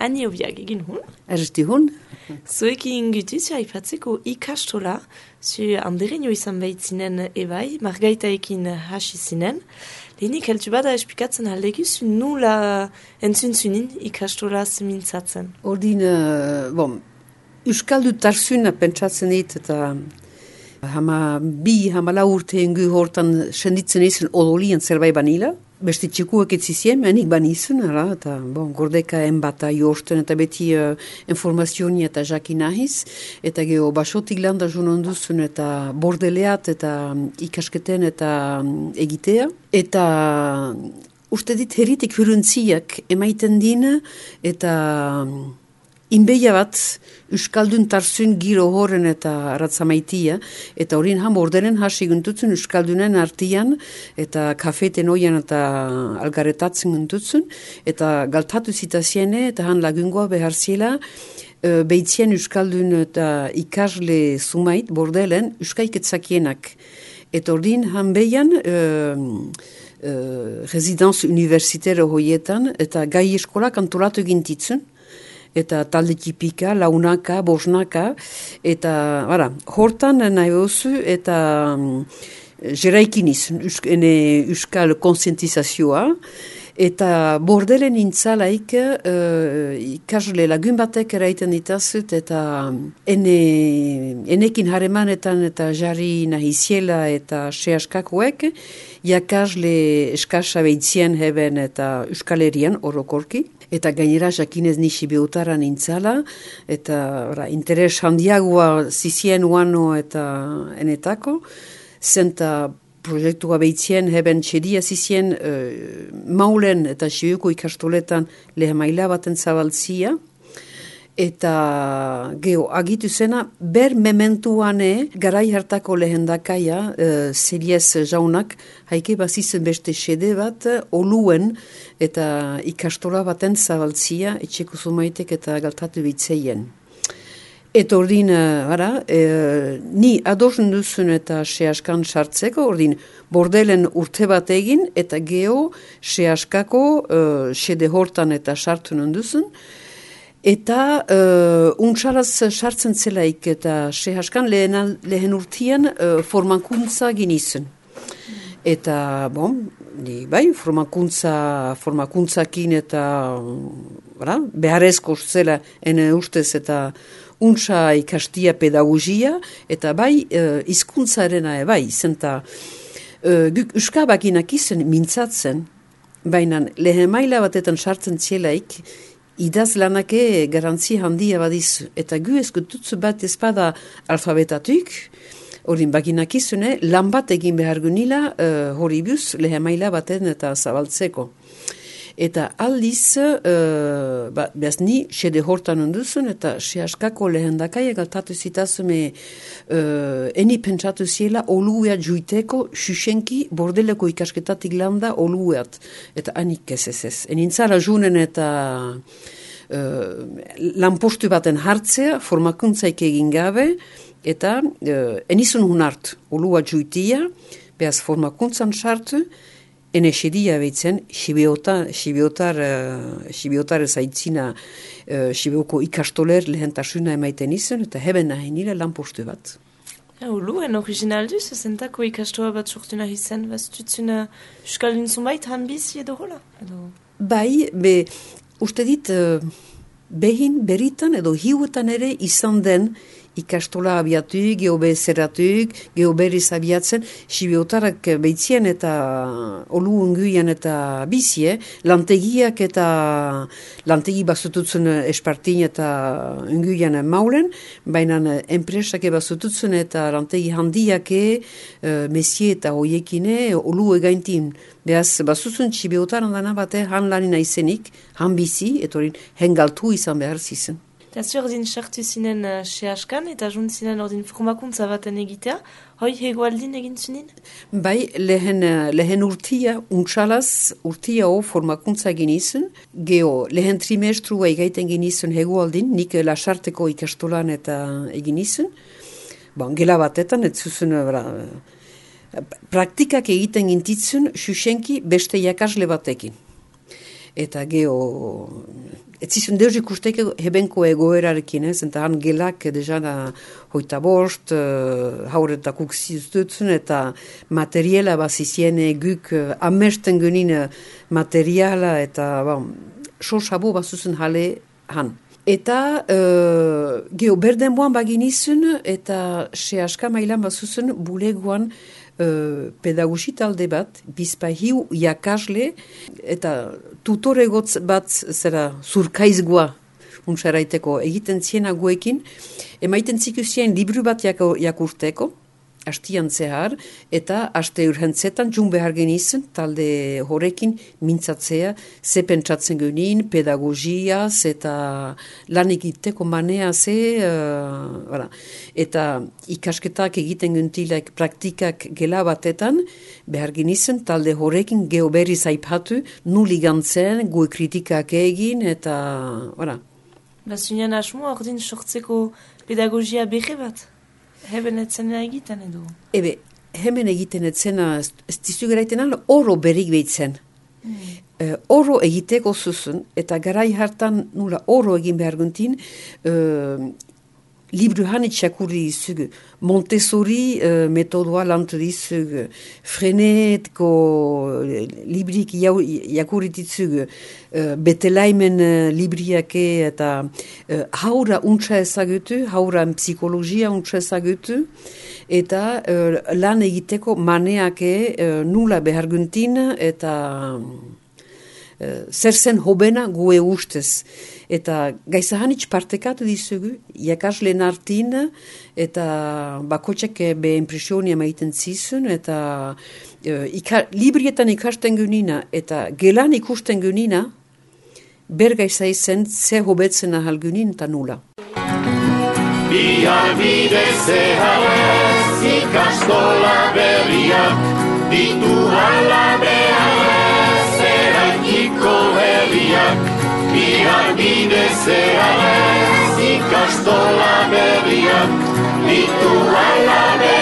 Ani obiak egin hun. Erresti hun. Zuekin gutuz, aipatzeko ikastola, zu andereño izan behitzinen ebai, margaitaekin hasi zinen. Lehenik heltu bada esplikatzen aldeguz, nula entzun ikastola zemintzatzen. Ordin, Euskaldu tarzuna pentsatzen dit, eta hama urte ingu hortan senditzen izan odolien zerbait banila. Beste txikuak etzizien, menik banizun, eta gordeka enbata jorten, eta beti informazioni eta jakin nahiz, eta geho basotik landa junon duzun, eta bordeleat, eta ikasketen, eta egitea. Eta uste dit heritik huruntziak emaiten dina, eta inbeia bat, Euskaldun tarzun giro horren eta ratzamaitia, eta horin ordenen hasi guntutzen Euskaldunen artian, eta kafeten oian eta algaretatzen guntutzen, eta galtatu zitaziene, eta han lagungoa behar ziela, behitzien Euskaldun eta ikasle zumait, bordelen, Euskaiketzakienak. Eta horin han behian, residence universitaire hoietan, eta gai eskolak antolatu gintitzen, eta talde tipika, launaka, bosnaka, eta hortan nahi behuzu, eta jeraikin izan, euskal konsientizazioa, eta bordelen intzalaik ikasle lagun batek eraiten ditazut, eta enekin haremanetan eta jarri nahiziela eta sehaskakoek, jakasle eskasa behitzien heben eta euskalerian orokorki, eta gainera jakinez nixi beutaran intzala, eta interes handiagoa zizien uano eta enetako, zenta proiektua behitzien heben txedia zizien maulen eta siuko ikastoletan lehemaila baten zabaltzia, eta geho agitu zena ber mementuane garai hartako lehendakaia Zeriez jaunak haike bazizen beste xede bat oluen eta ikastola baten zabaltzia etxeko zumaitek eta galtatu bitzeien. Eta ordin, ni adosen duzun eta sehaskan sartzeko, ordin, bordelen urte bat egin, eta geho sehaskako xede hortan eta sartu nonduzun, eta untsaraz sartzen zelaik, eta sehaskan lehen urtean formakuntza ginizun. Eta, formakuntzakin eta beharrezko zela ene ustez eta untsa ikastia pedagogia, eta hizkuntzarena zenta euskabakinak izan mintzatzen, baina lehen maila batetan sartzen zielaik, idazlanake garantzi handia badizu, eta gu eskututzu bat ezpada alfabetatuk, horin bakinak izune, lan bat egin behar gunila hori buz lehen maila baten eta zabaltzeko. Eta aldiz, behaz ni, xede hortan onduzun, eta sehaskako lehendakaia galtatu zitazume eni pentsatu ziela olueat juiteko xuxenki bordeleko ikasketatik landa olueat. Eta anik ez. Enintzara junen eta lanpostu baten hartzea, formakuntzaik egin gabe, eta enizun hun hart, olueat juitia, behaz formakuntzan sartu, ene xedia behitzen, xibiotar zaitzina xibioko ikastoler lehentasuna emaiten izan, eta heben nahi nire lanpostu bat. Luen original duz, zentako ikastoa bat sortu nahi zen, baztutzuna Euskaldun zunbait hanbizi edo hola? Bai, uste dit, behin beritan edo hiuetan ere izan den ikastola abiatuk, geobe zeratuk, geoberiz abiatzen, xibiotarak behitzien eta olu unguian eta bizie, lantegiak eta lantegi bazututzen espartin eta unguian maulen, baina enpresak bazututzen eta lantegi handiake mesie eta hoiekine olu egaintin. Beaz, bazutzen xibiotaran dana bate han lanina izenik, han bizi, eta hori hengaltu izan behar zizen. Eta zu ordin sartu zinen sehaskan eta junt zinen ordin formakuntza baten egitea, hoi hegoaldin egin zunin? Bai, lehen urtia, untsalaz urtia formakuntza egin izun, geho lehen trimestrua egaiten egin izun hegoaldin, nik lasarteko ikastolan eta egin izun, gela batetan, ez zuzun, praktikak egiten gintitzun xuxenki beste jakasle batekin. eta ez zizun deus ikusteko hebenko egoerarekin, eta han gelak dejana hoita bost, hauretakuk ziztutzen, eta materiala bazizien guk amesten genin materiala, eta sosabo bazuzen jale han. Eta berden boan baginizun, eta se aska mailan bazuzen bulegoan pedagogi talde bat, bizpahiu jakasle, eta tutore bat zera zurkaizgoa unsaraiteko egiten ziena guekin, emaiten zikusien libru bat jakurteko, hastian zehar, eta haste urhentzetan jun behar genizun, talde horrekin mintzatzea, ze pentsatzen genin, pedagogiaz, eta lan egiteko manea eta ikasketak egiten gentilak praktikak gela batetan, behar genizun, talde horrekin geoberriz aipatu, nuli gantzen, gue kritikak egin, eta, Zunean asmoa ordin sortzeko pedagogia behe bat? Heben etzena egiten edo? Hemen egiten etzena, ez dizu geraiten ala, oro berik behitzen. Oro egiteko zuzun, eta garai hartan nula oro egin behar guntin, libru hanitxakurri izugu, Montessori metodoa lantu dizugu, Frenetko librik jakurrititzugu, Betelaimen libriake eta haura untsa ezagutu, haura psikologia untsa ezagutu, eta lan egiteko maneake nula behar guntin, eta zer zen hobena gue ustez. Eta gaizahanitz partekatu dizugu, jakasleen artin, eta bakotxek be impresionia maiten zizun, eta librietan ikasten genina, eta gelan ikusten genina, bergaiza izan ze hobetzen ahal genin eta nula. Bihar bide zeharez ikastola berriak, ditu hala beharrez eraikiko herriak. Bihar bide zeharez ikastola berriak, ditu hala beharrez